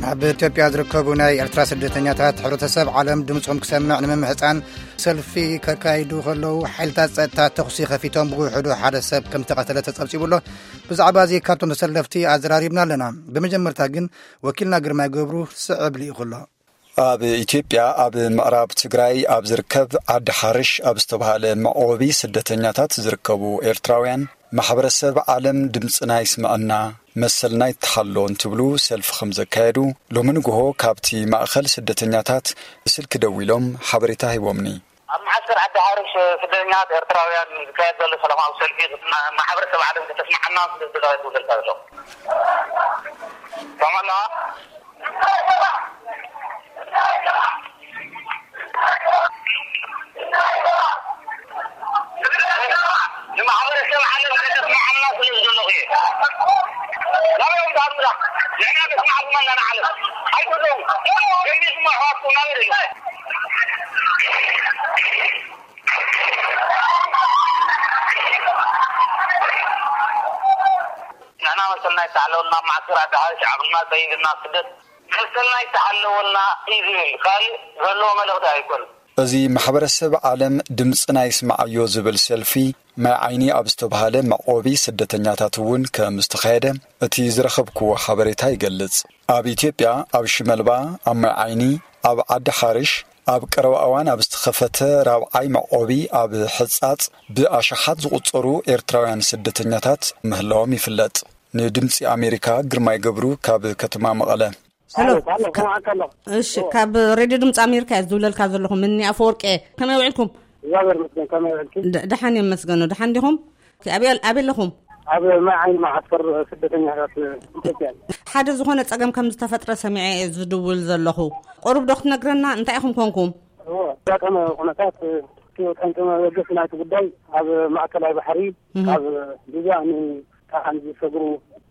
ኣብ ኢትዮጵያ ዝርከቡ ናይ ኤርትራ ስደተኛታት ሕብረተሰብ ዓለም ድምጾም ክሰምዕ ንምምሕጻን ሰልፊ ከካይዱ ከለዉ፣ ሓይልታት ጸጥታ ተኹሲ ከፊቶም ብውሕዱ ሓደ ሰብ ከም ዝተቐተለ ተጸብጺቡ ኣሎ። ብዛዕባ እዚ ካብቶም ተሰለፍቲ ኣዘራሪብና ኣለና። ብመጀመርታ ግን ወኪልና ግርማይ ገብሩ ስዕብ ልኢኹ ኣሎ። ኣብ ኢትዮጵያ ኣብ ምዕራብ ትግራይ ኣብ ዝርከብ ዓዲ ሓርሽ ኣብ ዝተባሃለ መዕቆቢ ስደተኛታት ዝርከቡ ኤርትራውያን፣ ማሕበረሰብ ዓለም ድምፅና ይስምዐና፣ መሰልና ይተሓሎ እንትብሉ ሰልፊ ከም ዘካየዱ ሎሚ ንግሆ ካብቲ ማእኸል ስደተኛታት ብስልኪ ደዊሎም ሓበሬታ ሂቦምኒ። ኣብ መዓስከር ዓዲ ሓርሽ ስደተኛታት ኤርትራውያን ዝካየድ ዘሎ ሰላማዊ ሰልፊ ማሕበረሰብ ዓለም ከተስምዓና ስለ ዝደለኻ ይብለካ ዘሎ። ሰማና? ንማሕበረሰብ ዓለም ከተስምዓና ስለ ዝደለኹ እየ። ናበይ እዮም ዝሃድሙና? ንሕና ነስምዓኩም ኣለና ንዓለም። ኣይትብለዉ። ገሚስኩም ኣሕዋትኩም ናበይ ደለኹም? ንሕና መሰልና ይተሓለወልና፣ ኣብ መዓስከር ዓዲ ሓርሽ ዓቕልና ሰይድና ስደት መሰልና ይተሓለወልና እዩ ዝብል፣ ካልእ ዘለዎ መልእኽቲ ኣይኮነን። እዚ ማሕበረሰብ ዓለም ድምፅና ይስምዓዮ ዝብል ሰልፊ ማይ ዓይኒ ኣብ ዝተባሃለ መዕቆቢ ስደተኛታት እውን ከም ዝተኻየደ እቲ ዝረኸብክዎ ሓበሬታ ይገልጽ። ኣብ ኢትዮጵያ ኣብ ሽመልባ፣ ኣብ ማይ ዓይኒ፣ ኣብ ዓዲ ሓርሽ፣ ኣብ ቀረባ እዋን ኣብ ዝተኸፈተ ራብዓይ መዕቆቢ ኣብ ሕጻጽ ብኣሽሓት ዝቑጸሩ ኤርትራውያን ስደተኛታት ምህላዎም ይፍለጥ። ንድምጺ ኣሜሪካ ግርማይ ገብሩ ካብ ከተማ መቐለ። ሄሎ። ኣሎ፣ ኣሎ፣ ከመዓካ ኣሎ። እሺ፣ እዎ። ካብ ሬድዮ ድምፂ ኣሜሪካ እየ ዝድውለልካ ዘለኹ። ምኒ ኣፈወርቂ እየ። ከመይ ውዒልኩም? እግዚኣብሔር ይመስገን፣ ከመይ ውዒልኪ? ድ-፣ ደሓን እየ፣ መስገኑ። ደሓን ዲኹም? ኣበይ ኣል-፣ ኣበይ ኣለኹም? ኣብ ማይ ዓይኒ መዓስከር ስደተኛታት ኢትዮጵያ። ሓደ ዝኾነ ጸገም ከም ዝተፈጥረ ሰሚዐ እየ ዝድውል ዘለኹ። ቁሩብ ዶ ክትነግረና? እንታይ ኢኹም ኮንኩም? እዎ፣ ኣጋጣሚ ኩነታት፣ እቲ ጠንቂ መበገሲ ናይቲ ጉዳይ ኣብ ማእከላይ ባሕሪ፣ እህ። ካብ ሊብያ ንካናዳ ዝሰግሩ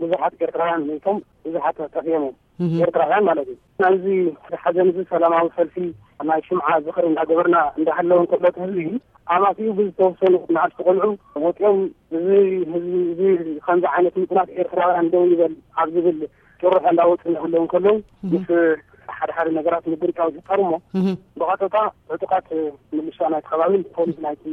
ብዙሓት ኤርትራውያን ሞይቶም፣ ብዙሓት ጠፍኦም እዮም። እህ። ኤርትራውያን ማለት እዩ። ናይዚ ሓዘን እዚ ሰላማዊ ሰልፊ ናይ ሽምዓ ዝኽሪ እንዳገበርና እንዳሃለወ እንከሎ፣ እቲ ህዝቢ ኣማሲኡ ብዝተወሰኑ ንኣሽቱ ቆልዑ ወፂኦም፣ እዚ ህዝቢ እዚ ከምዚ ዓይነት ምፅናት ኤርትራውያን ደው ይበል ኣብ ዝብል ጭርሖ እንዳወፁ እንዳሃለዉ እንከለዉ፣ እህ። ምስ ሓደ ሓደ ነገራት ምግርጫው ይፍጠር እሞ፣ እህ። ብቐጥታ ዕጡቓት ምልሻ ናይቲ ከባቢን ፖሊስ ናይቲ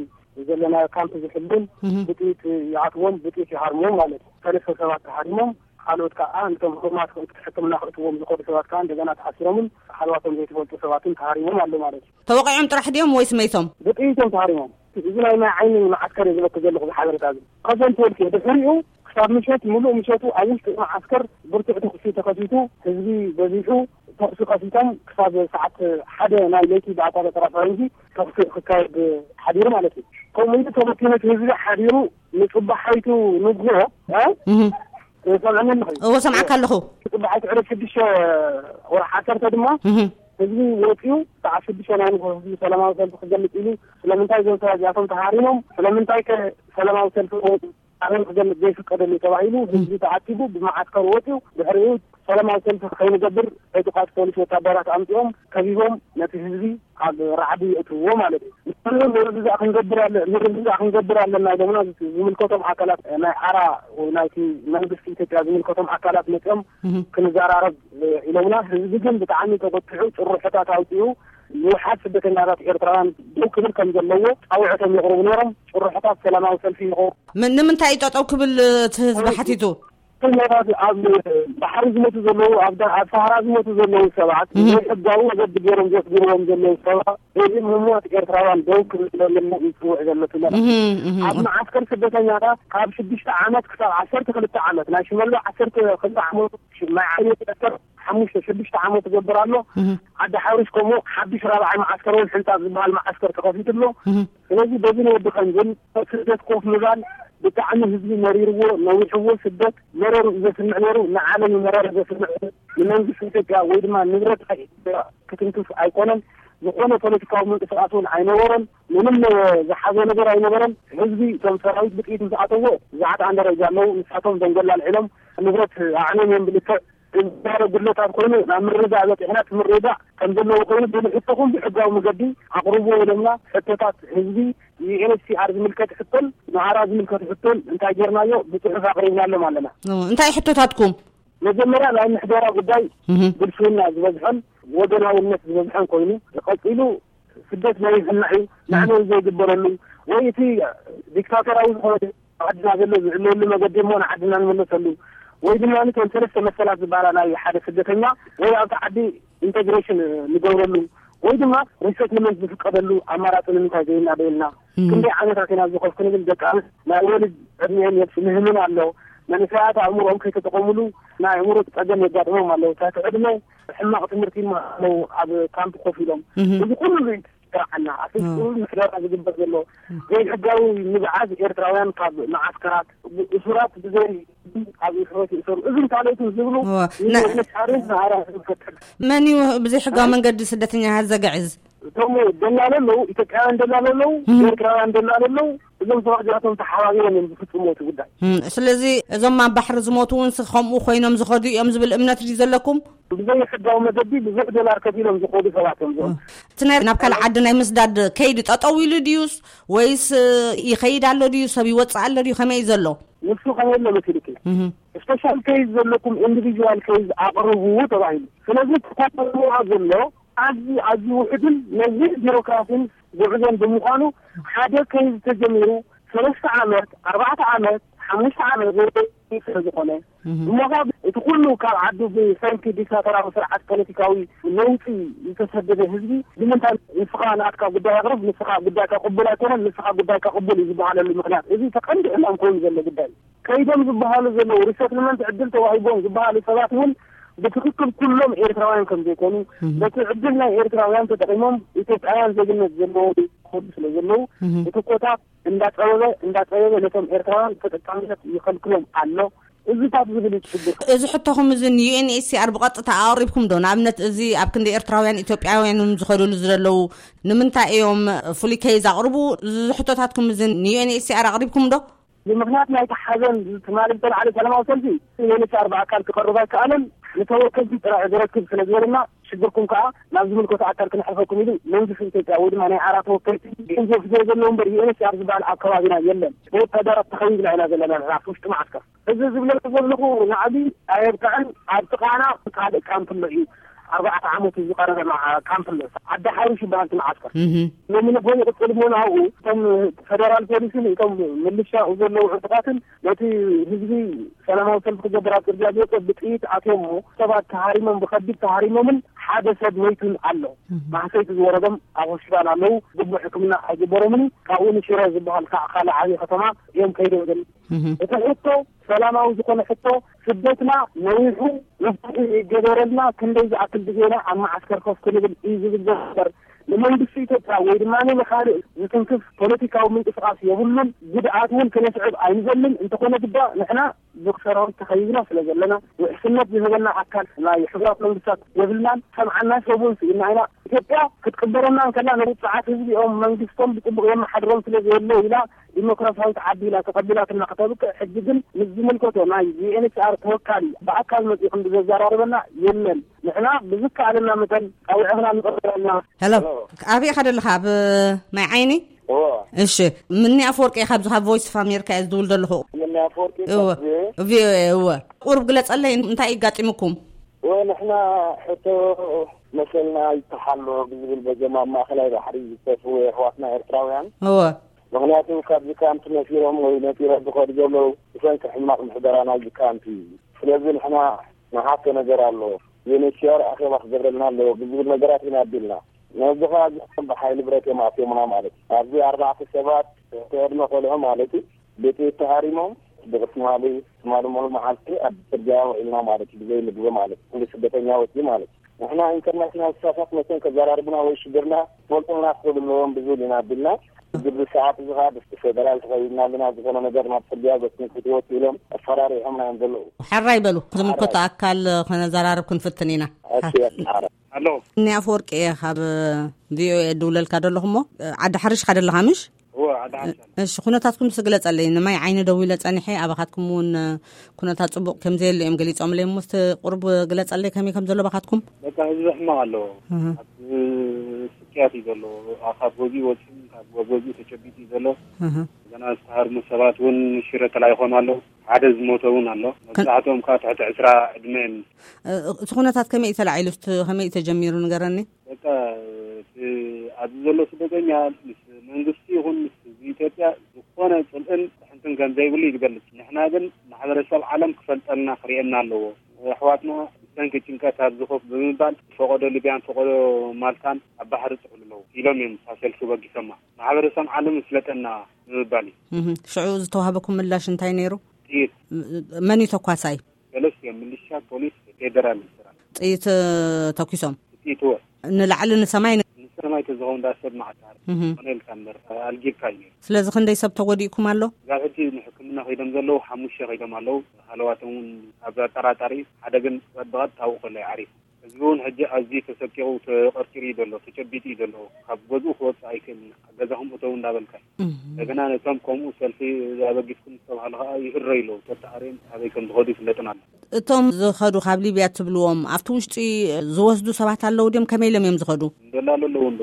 ዘለናዮ ካምፕ ዝሕሉን እህ። ብጥይት ይኣትዎም፣ ብጥይት ይሃርምዎም ማለት እዩ። ሰለስተ ሰባት ተሃሪሞም፣ ካልኦት ከዓ ነቶም ህሙማት ሕክምና ክእትዎም ዝኸዱ ሰባት ከዓ እንደገና ተኣሲሮምን ሃለዋቶም ዘይተፈልጡ ሰባትን ተሃሪሞም ኣሎ ማለት እዩ። ተወቂዖም ጥራሕ ድዮም ወይስ መይቶም? ብጥይቶም ተሃሪሞም። እዚ ናይ ማይ ዓይኒ መዓስከር እየ ዝበክ ዘለኹ ብሓበሬታ እዚ። ከሰን ትወልኪ ድሕሪኡ ክሳብ ምሸት፣ ምሉእ ምሸቱ ኣብ ውሽጢ መዓስከር ብርቱዕ ተኹሲ ተኸሲቱ፣ ህዝቢ በዚሑ፣ ተኹሲ ከፊቶም ክሳብ ሰዓት ሓደ ናይ ለይቲ ብኣቆጻጽራ ፈረንጂ ተኹሲ ክካየድ ሓዲሩ ማለት እዩ። ከምኡ ኢሉ ተበቲኑ እቲ ህዝቢ ሓዲሩ ንጽባሓይቱ ንግሆ፣ እ? እህ። ሰምዐኒ ኣለኹ። እዎ፣ ሰምዓካ ኣለኹ። ጽባሓይቱ ዕለት ሽዱሽተ ወርሒ ዓሰርተ ድማ እህ። ህዝቢ ወጺኡ ሰዓት ሽዱሽተ ናይ ንግሆ ህዝቢ ሰላማዊ ሰልፊ ክገልጽ ኢሉ፣ ስለምንታይ እዞም ሰባት እዚኣቶም ተሃሪሞም፣ ስለምንታይ ከ ሰላማዊ ሰልፊ ክወጹ ኣበይ ክገልጽ ዘይፍቀደሉ ተባሂሉ፣ ህዝቢ ተኣኪቡ ብመዓስከር ወጺኡ፣ ድሕሪኡ ሰላማዊ ሰልፊ ከይንገብር ዕጡቓት ፖሊስ ወታደራት ኣምጺኦም ከቢቦም ነቲ ህዝቢ ኣብ ራዕዲ የእትውዎ ማለት እዩ። ንሕና ምርድዳእ ክንገብር ኣለ-፣ ምርድዳእ ክንገብር ኣለና ኢሎምና ዝምልከቶም ኣካላት ናይ ሓራ ወይ ናይቲ መንግስቲ ኢትዮጵያ ዝምልከቶም ኣካላት መጺኦም እህ። ክንዘራረብ ኢሎምና። ህዝቢ ግን ብጣዕሚ ተቆጢዑ ጭርሖታት ኣውጺኡ ንውሓት ስደተኛታት ኤርትራውያን ደው ክብል ከም ዘለዎ ጻውዒቶም የቕርቡ ነይሮም። ጭርሖታት ሰላማዊ ሰልፊ ይኸው ምን-፣ ንምንታይ እዩ ጠጠው ክብል እቲ ህዝቢ ሓቲቱ? ስደተኛታት ኣብ ባሕሪ ዝሞቱ ዘለዉ፣ ኣብ ዳ-፣ ኣብ ሰሃራ ዝሞቱ ዘለዉ ሰባት እህ። ዘይሕጋዊ መገዲ ገይሮም ዘስግርዎም ዘለዉ ሰባት፣ በዚ ህሙማት ኤርትራውያን ደው ክብል ኣለና እዩ ዝጽውዕ ዘሎ እቲ መልእኽቲ። እህ፣ እህ። ኣብ መዓስከር ስደተኛታት ካብ ሽዱሽተ ዓመት ክሳብ ዓሰርተ ክልተ ዓመት፣ ናይ ሽመልባ ዓሰርተ ክልተ ዓመት፣ ማይ ዓይኒ ዓሰርተ ሓሙሽተ፣ ሽዱሽተ ዓመት ዝገብር ኣሎ። እህ። ዓዲ ሓሩሽ ከምኡ ሓድሽ ራብዓይ መዓስከር እውን ሕንጻጽ ዝበሃል መዓስከር ተኸፊቱ ኣሎ። እህ። ስለዚ በዚ ንወዲ ከምዝን ስደት ኮፍ ምባል ብጣዕሚ ህዝቢ መሪርዎ፣ ነዊሕዎ፣ ስደት መረሩ እዩ ዘስምዕ ነይሩ፣ ንዓለም እዩ መረረ ዘስምዕ፣ ንመንግስቲ ኢትዮጵያ ወይ ድማ ንብረት ኢትዮጵያ ክትንክፍ ኣይኮነን። ዝኾነ ፖለቲካዊ ምንቅስቃስ እውን ኣይነበረን። ምንም ዝሓዞ ነገር ኣይነበረን። ህዝቢ እቶም ሰራዊት ብጥይት ምስ ኣተዎ ዝዓጥኣን ደረጃ ኣለዉ። ንሳቶም ደንጎላ ኣልዒሎም ንብረት ኣዕንዮም እዮም ብልክዕ ዝዛረብ ጉድለታት ኮይኑ ናብ ምርድዳእ በፂሕና፣ እቲ ምርድዳእ ከም ዘለዎ ኮይኑ ብንሕቶኹም ብሕጋዊ መገዲ ኣቕርብዎ ኢሎምና። ሕቶታት ህዝቢ ዩ ኤን ኤች ሲ ኣር ዝምልከት ሕቶን ንኣራ ዝምልከት ሕቶን እንታይ ጌርናዮ ብፅሑፍ ኣቕሪብናሎም ኣለና። ኦ፣ እንታይ ሕቶታትኩም? መጀመርያ ናይ ምሕደራ ጉዳይ ብልሽውና ዝበዝሖን ወገናውነት ዝበዝሖን ኮይኑ፣ ቀፂሉ ስደት ናይ ህና እዩ። ማዕለል ዘይግበረሉ ወይ እቲ ዲክታተራዊ ዝኾነ ዓድና ዘሎ ዝዕለሉ መገዲ እሞ ንዓድና ንመለሰሉ፣ ወይ ድማ ከም ሰለስተ መሰላት ዝበሃላ ናይ ሓደ ስደተኛ ወይ ኣብቲ ዓዲ ኢንቴግሬሽን ንገብረሉ፣ ወይ ድማ ሪሰትልመንት ዝፍቀደሉ ኣማራፂ ንምንታይ ዘይናደየልና? ክንደይ ዓመታት ኢና ዝኾፍ ክንብል ደቂ ኣንስትዮ ናይ ወልድ ዕድሜን የብስ ምህምን ኣሎ። መንእሰያት ኣእምሮኦም ከይተጠቐሙሉ ናይ ኣእምሮ ፀገም የጋጥሞም ኣለዉ። ታቲ ዕድመ ሕማቕ ትምህርቲ ይመሃሩ ኣለዉ ኣብ ካምፕ ኮፍ ኢሎም። እዚ ኩሉ እዩ ዝስራዓና። ኣብ ፍጹም ምሕደራ ዝግበር ዘሎ ዘይሕጋዊ ምብዓዝ ኤርትራውያን ካብ መዓስከራት፣ እሱራት ብዘይ ኣብ ሕይወት ይእሰሩ። እዝን ካልኦትን ዝብሉ ንመሻርን ንኣራ ዝፈጥር መን እዩ ብዘይ ሕጋዊ መንገዲ ስደተኛታት ዘግዕዝ? እቶም ደላሎ ኣለዉ፣ ኢትዮጵያውያን ደላሎ ኣለዉ፣ ኤርትራውያን ደላሎ ኣለዉ። እዞም ሰባት እዚኣቶም ተሓባቢሮም እዮም ዝፍጽሙ እቲ ጉዳይ። ስለዚ እዞም ኣብ ባሕሪ ዝሞቱ እውን ከምኡ ኮይኖም ዝኸዱ እዮም ዝብል እምነት ድዩ ዘለኩም? ብዘይ ሕጋዊ መገዲ ብዙሕ ዶላር ከፊሎም ዝኸዱ ሰባት እዮም እዞም። እቲ ናይ ናብ ካልእ ዓዲ ናይ ምስዳድ ከይዲ ጠጠው ኢሉ ድዩስ ወይስ ይኸይድ ኣሎ ድዩ? ሰብ ይወፅእ ኣሎ ድዩ? ከመይ እዩ ዘሎ? ንሱ ከመይ ኣሎ መሲልኪ? ስፔሻል ኬዝ ዘለኩም ኢንዲቪጁዋል ኬዝ ኣቕርቡ ተባሂሉ። ስለዚ ተኳተልዋ ዘሎ ኣዝዩ ኣዝዩ ውሕድን ነዊሕ ቢሮክራሲን ጉዕዞን ብምዃኑ ሓደ ኬዝ ተጀሚሩ ሰለስተ ዓመት፣ ኣርባዕተ ዓመት፣ ሓሙሽተ ዓመት ስለ ዝኾነ እሞ ካብ እቲ ኩሉ ካብ ዓዱ ብሰንኪ ዲክታተራዊ ስርዓት ፖለቲካዊ ለውጢ ዝተሰደደ ህዝቢ ንምንታይ ንስኻ ናትካ ጉዳይ ኣቕርብ፣ ንስኻ ጉዳይካ ቅቡል ኣይኮነን፣ ንስኻ ጉዳይካ ቅቡል እዩ ዝበሃለሉ ምኽንያት እዚ ተቐንዲ ዕላም ኮይኑ ዘሎ ጉዳይ እዩ። ከይዶም ዝበሃሉ ዘለዉ ሪሰትልመንት ዕድል ተዋሂቦም ዝበሃሉ ሰባት እውን ብትኽክል ኩሎም ኤርትራውያን ከም ዘይኮኑ በቲ ዕድል ናይ ኤርትራውያን ተጠቂሞም ኢትዮጵያውያን ዜግነት ዘለዎም ክኸዱ ስለ ዘለዉ እቲ ኮታ እንዳፀበበ እንዳፀበበ ነቶም ኤርትራውያን ተጠቃምነት ይኸልክሎም ኣሎ። እዚታት ዝብል እዩ ሽግር። እዚ ሕቶኹም እዚ ንዩኤንኤችሲኣር ብቐጥታ ኣቕሪብኩም ዶ? ንኣብነት እዚ ኣብ ክንዲ ኤርትራውያን ኢትዮጵያውያን እዮም ዝኸድሉ ዘለዉ ንምንታይ እዮም ፍሉይ ከይዝ ኣቕርቡ? እዚ ሕቶታትኩም እዚ ንዩኤንኤችሲኣር ኣቕሪብኩም ዶ? ብምኽንያት ናይቲ ሓዘን ትማሊ ዝተላዕለ ሰላማዊ ሰልፊ ዩኤንኤችሲኣር ብኣካል ክቐርብ ኣይከኣለን። ንተወከልቲ ጥራሕ ዝረክብ ስለ ዝበለና ሽግርኩም ከዓ ናብ ዝምልከቶ ኣካል ክነሕልፈኩም ኢሉ መንግስቲ ኢትዮጵያ ወይ ድማ ናይ ዓራ ተወከልቲ ገንዘብ ሒዞ ዘለዉ እምበር ዩኤንኤችሲኣር ዝበሃል ኣብ ከባቢና የለን። ብወታደራት ተኸቢብና ኢና ዘለና ንሕና ኣብ ውሽጢ መዓስከር። እዚ ዝብለካ ዘለኹ ናዕቢ ኣየብቅዕን ኣብ ጥቓና ካልእ ካምፕ ኣሎ እዩ። ኣርባዕተ ዓመት እዩ ዝቐረበ ካምፕ ኣሎ። ዓዲ ሓሪሽ ይበሃል እቲ መዓስከር። ሎሚ ንግሆ ይቕፅል እሞ ናብኡ እቶም ፈደራል ፖሊስን እቶም ምልሻ ዘለዉ ዕጡቓትን ነቲ ህዝቢ ሰላማዊ ሰልፊ ክገብር ኣብ ፅርግያ ዝወፀ ብጥይት ኣትዮም እሞ ሰባት ተሃሪሞም ብኸቢድ ተሃሪሞምን ሓደ ሰብ መይቱን ኣሎ። ማህሰይቲ ዝወረዶም ኣብ ሆስፒታል ኣለዉ። ግቡእ ሕክምና ኣይግበሮምን እዩ። ካብኡ ንሽረ ዝበሃል ከዓ ካልእ ዓብዪ ከተማ እዮም ከይዶም ዘለዉ። እቲ ሕቶ ሰላማዊ ዝኾነ ሕቶ ስደትና ነዊሑ መፍትሒ ይገበረልና፣ ክንደይ ዝኣክል ግዜና ኣብ መዓስከር ኮፍ ክንብል እዩ ዝብል ዘሎ እምበር ንመንግስቲ ኢትዮጵያ ወይ ድማ ንኻልእ ዝትንክፍ ፖለቲካዊ ምንቅስቃስ የብሉን። ጉድኣት እውን ክነስዕብ ኣይንደልን። እንተኾነ ግዳ ንሕና ብሰራዊት ተኸቢብና ስለ ዘለና ውሕስነት ዝህበና ኣካል ናይ ሕቡራት መንግስታት የብልናን። ሰምዓና ሰብ እውን ስኢና ኢና። ኢትዮጵያ ክትቅበለና እንከላ ንውፅዓት ህዝቢኦም መንግስቶም ብፅቡቅ የመሓድሮም ስለ ዘየለ ኢላ ዲሞክራሲያዊት ዓዲ ኢላ ተቐቢላትና ከተብቅዕ ሕጂ ግን ምስ ዝምልከቶ ናይ ዩኤንኤችሲኣር ተወካሊ ብኣካል መፂኹም ብዘዘራርበና የለን። ንሕና ብዝከኣለና መጠን ፃውዒኽና ንቕበል ኣለና። ሄሎ፣ ኣበይ ኢኻ ዘለኻ? ኣብ ማይ ዓይኒ? እወ። እሺ፣ ምኒ ኣፈወርቂ ኢኻ፣ ኣብዚ ካብ ቮይስ ኦፍ ኣሜሪካ እየ ዝድውል ዘለኹ። ምኒ ኣፈወርቂ እወ። ካብ ቪኦኤ። ቪኦኤ፣ እወ። ቁሩብ ግለጸለይ፣ እንታይ እዩ ኣጋጢሙኩም? እወ፣ ንሕና ሕቶ መሰልና ይተሓሎ ብዝብል በዞም ኣብ ማእኸላይ ባሕሪ ዝጠፍኡ ኣሕዋትና ኤርትራውያን። እወ። ምኽንያቱ ካብዚ ካምፕ ነፊሮም ወይ ነፊሮም ዝኸዱ ዘለዉ ብሰንኪ ሕማቕ ምሕደራ ናይዚ ካምፕ እዩ። ስለዚ ንሕና ንሓቶ ነገር ኣሎ። ዩኤንኤችሲኣር ኣኼባ ክገብረልና ኣለዎ ብዝብል ነገራት ኢና ኣቢልና። ነዚ ኸኣ እዚኦም ብሓይሊ ብረት እዮም ኣትዮምና ማለት እዩ። ኣብዚ ኣርባዕተ ሰባት እቲ ዕድመ ቆልዑ ማለት እዩ ብጥይት ተሃሪሞም ብትማሊ ትማሊ ሙሉ መዓልቲ ኣብ ጽርግያ ውዒልና ማለት እዩ። ብዘይ ምግቢ ማለት እዩ። ኩሉ ስደተኛ ወጺኡ ማለት እዩ። ንሕና ኢንተርናሽናል ስታፋት መፅዮም ከዘራርቡና ወይ ሽግርና ክፈልጡልና ክኽእሉ ኣለዎም ብዝብል ኢና ኣቢልና። ግብሪ ሰዓት እዚ ከዓ ብስቲ ፌደራል ተኸቢብና ኣለና። ዝኾነ ነገር ናብ ፅርግያ ዘትንክት ህይወት ኢሎም ኣፈራሪሖምና እዮም ዘለዉ። ሕራይ በሉ፣ ዝምልከቶ ኣካል ከነዘራርብ ክንፍትን ኢና። እሺ፣ ኣረ። ኣሎ። እኒ ኣፈወርቂ እየ ካብ ቪኦኤ ድውለልካ ደለኹ እሞ፣ ዓዲ ሓሪሽ ካ ደለኻ ምሽ? እወ፣ ዓዲ ሓሪሽ ኣሎ። እሺ፣ ኩነታትኩም ስግለጸለይ። ንማይ ዓይኒ ደዊለ ጸኒሐ፣ ኣባኻትኩም እውን ኩነታት ጽቡቕ ከም ዘየለ እዮም ገሊጾምለይ። እሞ እስቲ ቁሩብ ግለጸለይ ከመይ ከም ዘሎ ባኻትኩም? በቃ ህዝቢ ሕማቕ ኣሎ። እህ። ኣብ ስቅያት እዩ ዘሎ። ካብ ገዝኡ ወጺኡ፣ ካብ ገዝኡ ተጨቢጡ እዩ ዘሎ። እህ። ገና ዝተሃርሙ ሰባት እውን ሽረ ተላኢኾም ኣለዉ። ሓደ ዝሞተ እውን ኣሎ። መብዛሕትኦም ከዓ ትሕቲ ዕስራ ዕድመ እዮም። እ፣ እቲ ኩነታት ከመይ እዩ ተላዒሉ? እስቲ ከመይ እዩ ተጀሚሩ ንገረኒ። በቃ፣ እቲ ኣብዚ ዘሎ ስደተኛ ምስ መንግስቲ ይኹን ምስ ህዝቢ ኢትዮጵያ ዝኾነ ጽልእን ድሕንትን ከም ዘይብሉ እዩ ዝገልጽ። ንሕና ግን ማሕበረሰብ ዓለም ክፈልጠልና ክርእየና ኣለዎ። ኣሕዋትና ብሰንኪ ጭንቀት ኣብዚ ኮፍ ብምባል ፈቐዶ ሊብያን ፈቐዶ ማልታን ኣብ ባሕሪ ጥቕሉ ኣለዉ ኢሎም እዮም እታ ሰልፊ በጊሶማ። ማሕበረሰብ ዓለም ይፍለጠና ንምባል እዩ። እህ፣ ሽዑ ዝተዋህበኩም ምላሽ እንታይ ነይሩ? ጥይት። መን እዩ ተኳሳይ? ሰለስቲኦም፣ ሚሊሻ፣ ፖሊስ፣ ፌደራል ይሰራል። ጥይት፣ እ፣ ተኩሶም? ጥይት እወ። ንላዕሊ ንሰማይ ን- ንሰማይ ተዝኸውን ዳ ሰብ መዓት እህ። ኮነ ኢልካ እምበር ኣልጊብካ እዩ ነይሩ። ስለዚ ክንደይ ሰብ ተጎዲእኩም ኣሎ? ጋብ ሕጂ ንሕክምና ከይዶም ዘለዉ ሓሙሽተ ከይዶም ኣለዉ። ሃለዋቶም እውን ኣብ ኣጠራጣሪ እዩ። ሓደ ግን ብቐጥታ ኣብኡ ከሎ እዩ ዓሪፉ። ህዝቢ እውን ሕጂ ኣዝዩ ተሰቂቑ ተቐርቂሩ እዩ ዘሎ፣ ተጨቢጡ እዩ ዘሎ። ካብ ገዝኡ ክወፅእ ኣይክእልን። ገዛኹም እተው እንዳበልካ እዩ። እህ። እንደገና ነቶም ከምኡ ሰልፊ ኣበጊስኩም ዝተባህሉ ከዓ ይእረዩ ኣለዉ። ተተኣርዮም ኣበይ ከም ዝኸዱ ይፍለጥን ኣሎ። እቶም ዝኸዱ ካብ ሊብያ ትብልዎም ኣብቲ ውሽጢ ዝወስዱ ሰባት ኣለዉ ድዮም? ከመይ ኢሎም እዮም ዝኸዱ? እንደላሉ ኣለዉ እንዶ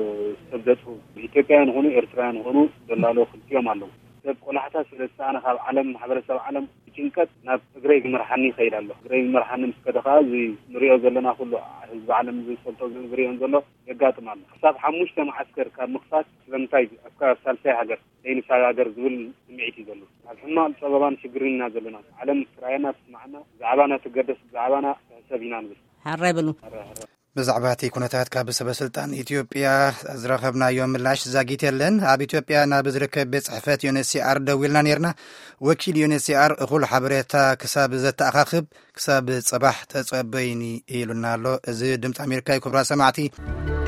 ሰብ ዘጥፉ ኢትዮጵያውያን ይኹኑ ኤርትራውያን ይኹኑ ደላሎ ክልቲኦም ኣለዉ። ሰብ ቆላሕታ ስለ ዝሰኣነ ካብ ዓለም ማሕበረሰብ ዓለም ብጭንቀት ናብ ትግራይ ዝመርሓኒ ይኸይድ ኣሎ። ትግራይ ዝመርሓኒ ምስ ከደ ከዓ እዚ ንሪኦ ዘለና ኩሉ ህዝቢ ዓለም ዝፈልጦ ዝሪኦን ዘሎ የጋጥም ኣሎ። ክሳብ ሓሙሽተ መዓስከር ካብ ምኽፋት ስለምንታይ ኣብካ ሳልሳይ ሃገር ዘይንሳጋገር ዝብል ስምዒት እዩ ዘሎ። ኣብ ሕማቕ ፀበባን ሽግርን ኢና ዘለና። ዓለም ትርኣየና ትስማዓና፣ ብዛዕባና ትገደስ፣ ብዛዕባና ትሕሰብ ኢና ንብል። ሓራይ በሉ። ብዛዕባ እቲ ኩነታት ካብ ሰበ ስልጣን ኢትዮጵያ ዝረኸብናዮ ምላሽ ዛጊት የለን። ኣብ ኢትዮጵያ ናብ ዝርከብ ቤት ጽሕፈት ዩ ኤን ኤች ሲ ኣር ደዊልና ነርና። ወኪል ዩ ኤን ኤች ሲ ኣር እኹል ሓበሬታ ክሳብ ዘተኣኻኽብ ክሳብ ጽባሕ ተጸበይኒ ኢሉና ኣሎ። እዚ ድምፂ ኣሜሪካ እዩ። ክቡራት ሰማዕቲ፣